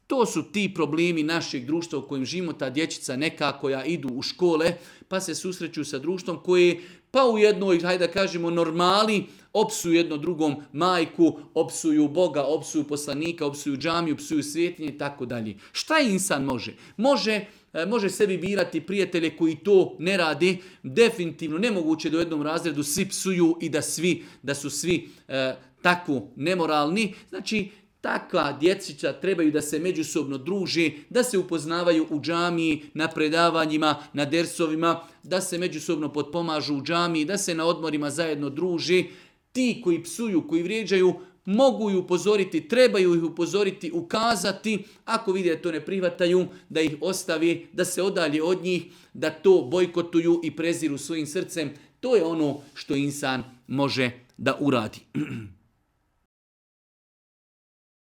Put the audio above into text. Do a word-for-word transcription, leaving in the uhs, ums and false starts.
To su ti problemi našeg društva u kojem živimo, ta dječica neka koja idu u škole, pa se susreću sa društvom koje pa u jednoj, hajde da kažemo, normali, opsuju jedno drugom majku, opsuju Boga, opsuju poslanika, opsuju džamiju, opsuju svjetinje i tako dalje. Šta insan može? Može Može sebi birati prijatelje koji to ne radi. Definitivno nemoguće da u jednom razredu svi psuju i da svi da su svi e, tako nemoralni. Znači, takva djecića trebaju da se međusobno druži, da se upoznavaju u džamiji, na predavanjima, na dersovima, da se međusobno potpomažu u džamiji, da se na odmorima zajedno druži. Ti koji psuju, koji vrijeđaju, mogu ih upozoriti, trebaju ih upozoriti, ukazati, ako vide da to ne prihvataju, da ih ostavi, da se odalje od njih, da to bojkotuju i preziru svojim srcem. To je ono što insan može da uradi.